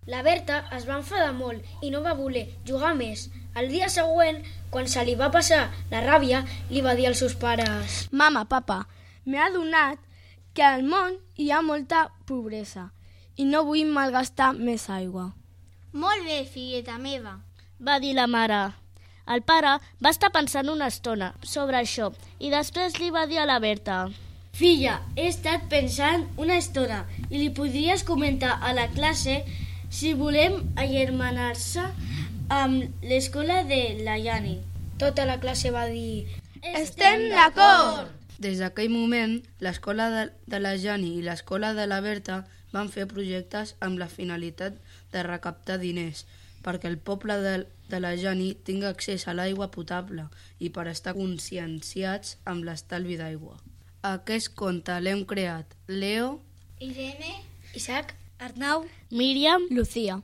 La Berta es va enfadar molt i no va voler jugar més. El dia següent, quan se li va passar la ràbia, li va dir als seus pares: «Mama, papa, m'he adonat que al món hi ha molta pobresa i no vull malgastar més aigua». «Molt bé, filleta meva», va dir la mare. El pare va estar pensant una estona sobre això i després li va dir a la Berta: «Filla, he estat pensant una estona i li podries comentar a la classe si volem agermanar-se amb l'escola de la Yani». Tota la classe va dir: «Estem d'acord!» Des d'aquell moment, l'escola de la Jani i l'escola de la Berta van fer projectes amb la finalitat de recaptar diners perquè el poble de la Jani tingui accés a l'aigua potable i per estar conscienciats amb l'estalvi d'aigua. Aquest conte l'hem creat Leo, Irene, Isaac, Arnau, Míriam, Lucía.